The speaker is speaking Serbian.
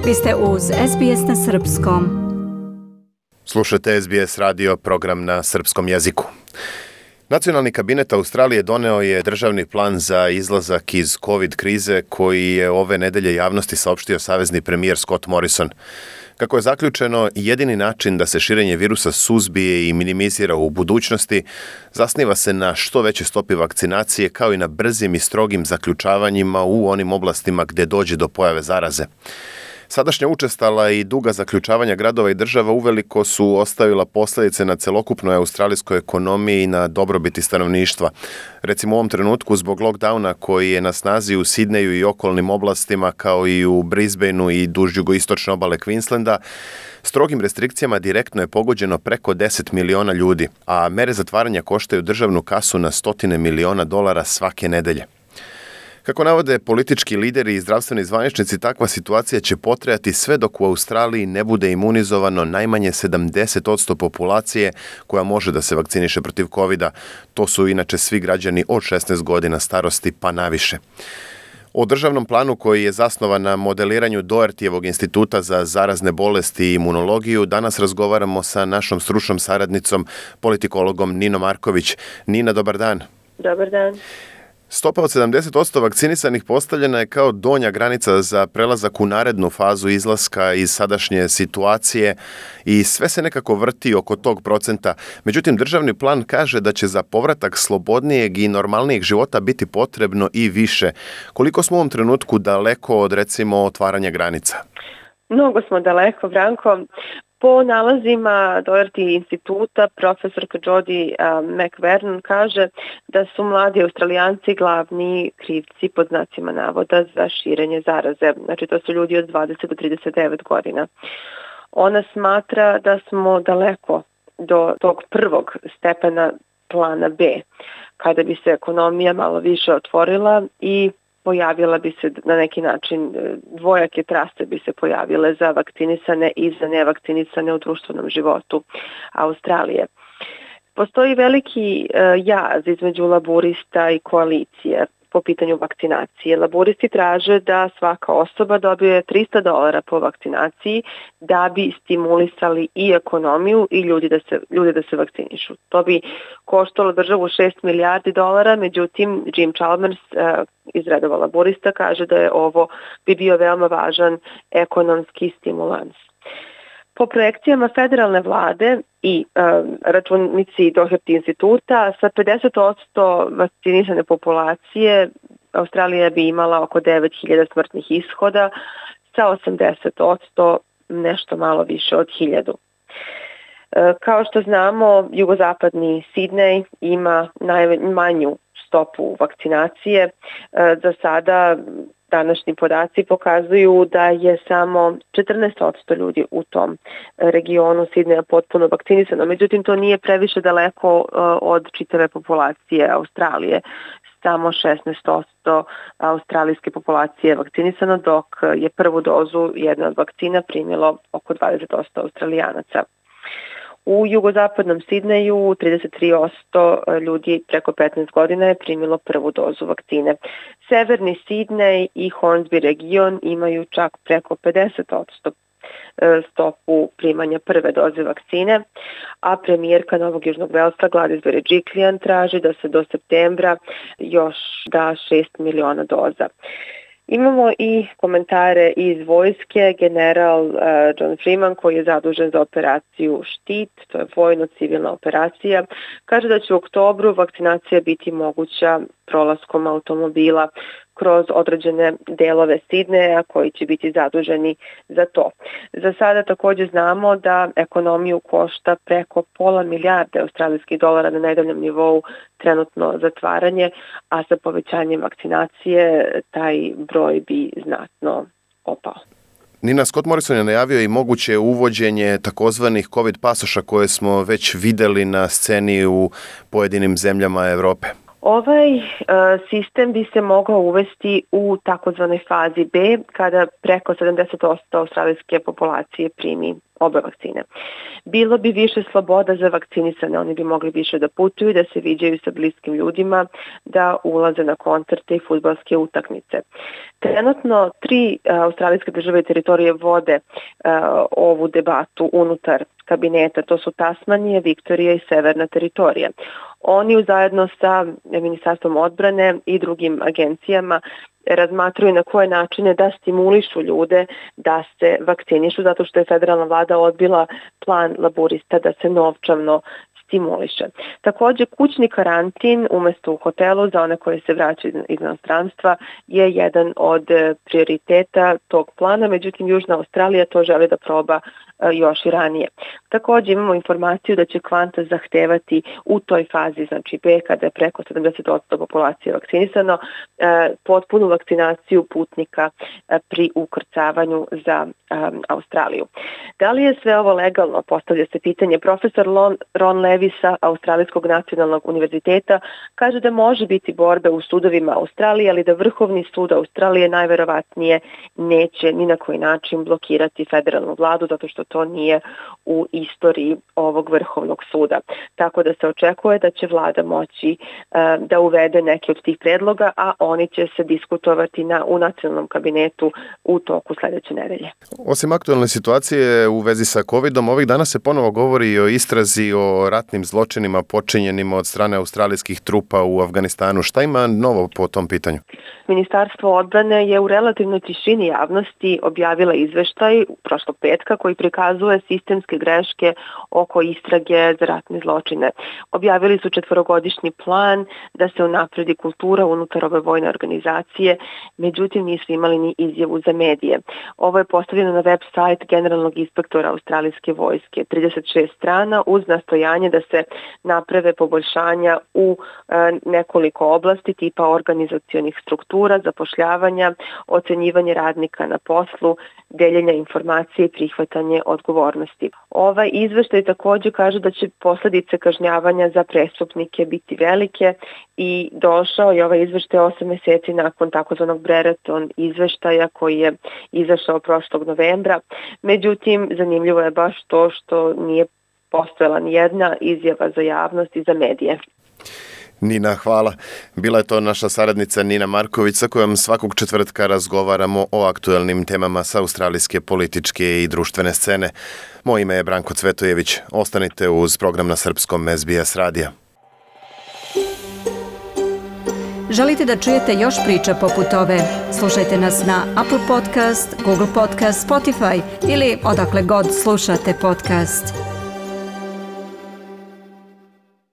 Vi ste uz SBS na Srpskom. Slušate SBS radio, program na srpskom jeziku. Nacionalni kabinet Australije doneo je državni plan za izlazak iz COVID krize koji je ove nedelje javnosti saopštio savezni premijer Scott Morrison. Kako je zaključeno, jedini način da se širenje virusa suzbije i minimizira u budućnosti zasniva se na što većoj stopi vakcinacije kao i na brzim i strogim zaključavanjima u onim oblastima gdje dođe do pojave zaraze. Sadašnja učestala i duga zaključavanja gradova i država uveliko su ostavila posljedice na celokupnoj australijskoj ekonomiji i na dobrobiti stanovništva. Recimo u ovom trenutku zbog lockdowna koji je na snazi u Sidneju i okolnim oblastima kao i u Brisbaneu i duž jugoistočne obale Queenslanda, strogim restrikcijama direktno je pogođeno preko 10 miliona ljudi, a mere zatvaranja koštaju državnu kasu na $100 miliona svake nedelje. Kako navode politički lideri i zdravstveni zvaničnici, takva situacija će potrajati sve dok u Australiji ne bude imunizovano najmanje 70% populacije koja može da se vakciniše protiv covida. To su inače svi građani od 16 godina starosti pa naviše. O državnom planu koji je zasnovan na modeliranju Dohertyjevog instituta za zarazne bolesti i imunologiju danas razgovaramo sa našom stručnom saradnicom, politikologom Ninom Marković. Nina, dobar dan. Dobar dan. Stopa od 70% vakcinisanih postavljena je kao donja granica za prelazak u narednu fazu izlaska iz sadašnje situacije i sve se nekako vrti oko tog procenta. Međutim, državni plan kaže da će za povratak slobodnijeg i normalnijeg života biti potrebno i više. Koliko smo u ovom trenutku daleko od, recimo, otvaranja granica? Mnogo smo daleko, Branko. Po nalazima Doherty instituta, profesorka Jodie McVern kaže da su mladi Australijanci glavni krivci pod znacima navoda za širenje zaraze. Znači to su ljudi od 20 do 39 godina. Ona smatra da smo daleko do tog prvog stepena plana B, kada bi se ekonomija malo više otvorila i pojavila bi se na neki način, dvojake trase bi se pojavile za vakcinisane i za nevakcinisane u društvenom životu Australije. Postoji veliki jaz između laburista i koalicije po pitanju vakcinacije. Laburisti traže da svaka osoba dobije $300 po vakcinaciji da bi stimulisali i ekonomiju i ljude da se vakcinišu. To bi koštalo državu $6 milijardi, međutim Jim Chalmers iz redova laburista kaže da je ovo bi bio veoma važan ekonomski stimulans. Po projekcijama federalne vlade i računici Doherty instituta, sa 50% vakcinisane populacije Australija bi imala oko 9.000 smrtnih ishoda, sa 80% nešto malo više od 1.000. Kao što znamo, jugozapadni Sidnej ima najmanju stopu vakcinacije. Za sada današnji podaci pokazuju da je samo 14% ljudi u tom regionu Sidneja potpuno vakcinisano. Međutim, to nije previše daleko od čitave populacije Australije. Samo 16% australijske populacije je vakcinisano, dok je prvu dozu jedne od vakcina primilo oko 20% Australijanaca. U jugozapadnom Sidneju 33% ljudi preko 15 godina je primilo prvu dozu vakcine. Severni Sidnej i Hornsby region imaju čak preko 50% stopu primanja prve doze vakcine, a premijerka Novog Južnog Velsa Gladys Berejiklian traži da se do septembra još da 6 miliona doza. Imamo i komentare iz vojske. General John Freeman, koji je zadužen za operaciju Štit, to je vojno-civilna operacija, kaže da će u oktobru vakcinacija biti moguća prolaskom automobila kroz određene delove Sidneja koji će biti zaduženi za to. Za sada također znamo da ekonomiju košta preko $500 milijardi australijskih dolara na nedeljnom nivou trenutno zatvaranje, a sa povećanjem vakcinacije taj broj bi znatno opao. Nina, Scott Morrison je najavio i moguće uvođenje takozvanih COVID pasoša koje smo već vidjeli na sceni u pojedinim zemljama Europe. Ovaj sistem bi se mogao uvesti u takozvanoj fazi B kada preko 70% australijske populacije primi obe vakcine. Bilo bi više sloboda za vakcinisane, oni bi mogli više da putuju, da se viđaju sa bliskim ljudima, da ulaze na koncerte i fudbalske utakmice. Trenutno 3 australijske države i teritorije vode ovu debatu unutar kabineta, to su Tasmanija, Viktorija i Severna teritorija. Oni zajedno sa Ministarstvom odbrane i drugim agencijama razmatruju na koje načine da stimulišu ljude da se vakcinišu, zato što je federalna vlada odbila plan laborista da se novčano stimuliše. Takođe, kućni karantin umesto u hotelu za one koji se vraćaju iz inostranstva je jedan od prioriteta tog plana, međutim Južna Australija to želi da proba još i ranije. Takođe imamo informaciju da će Qantas zahtevati u toj fazi, znači B, kada je preko 70% populacije vakcinisano, potpunu vakcinaciju putnika pri ukrcavanju za Australiju. Da li je sve ovo legalno? Postavlja se pitanje. Profesor Ron Levy sa Australijskog nacionalnog univerziteta kaže da može biti borbe u sudovima Australije, ali da Vrhovni sud Australije najverovatnije neće ni na koji način blokirati federalnu vladu, zato što to nije u istoriji ovog Vrhovnog suda. Tako da se očekuje da će vlada moći da uvede neke od tih predloga, a oni će se diskutovati u nacionalnom kabinetu u toku sledeće nedelje. Osim aktualne situacije u vezi sa COVID-om, ovih dana se ponovo govori o istrazi o ratnim zločinima počinjenima od strane australijskih trupa u Afganistanu. Šta ima novo po tom pitanju? Ministarstvo odbrane je u relativnoj tišini javnosti objavila izveštaj prošlog petka koji prikazuje sistemske greške oko istrage za ratne zločine. Objavili su 4-godišnji plan da se unapredi kultura unutar ove vojne organizacije, međutim nisu imali ni izjavu za medije. Ovo je postavljeno na web sajt generalnog inspektora australijske vojske, 36 strana uz nastojanje da se naprave poboljšanja u nekoliko oblasti tipa organizacionih struktura, zapošljavanja, ocenjivanje radnika na poslu, deljenja informacije i prihvatanje odgovornosti. Ovaj izveštaj takođe kaže da će posledice kažnjavanja za prestupnike biti velike i došao je ovaj izveštaj 8 meseci nakon takozvanog Brereton izveštaja koji je izašao prošlog novembra. Međutim, zanimljivo je baš to što nije postojala ni jedna izjava za javnost i za medije. Nina, hvala. Bila je to naša saradnica Nina Marković sa kojom svakog četvrtka razgovaramo o aktuelnim temama sa australijske političke i društvene scene. Moje ime je Branko Cvetojević. Ostanite uz program na srpskom SBS radija. Želite da čujete još priča poput ove? Slušajte nas na Apple Podcast, Google Podcast, Spotify ili odakle god slušate podcast.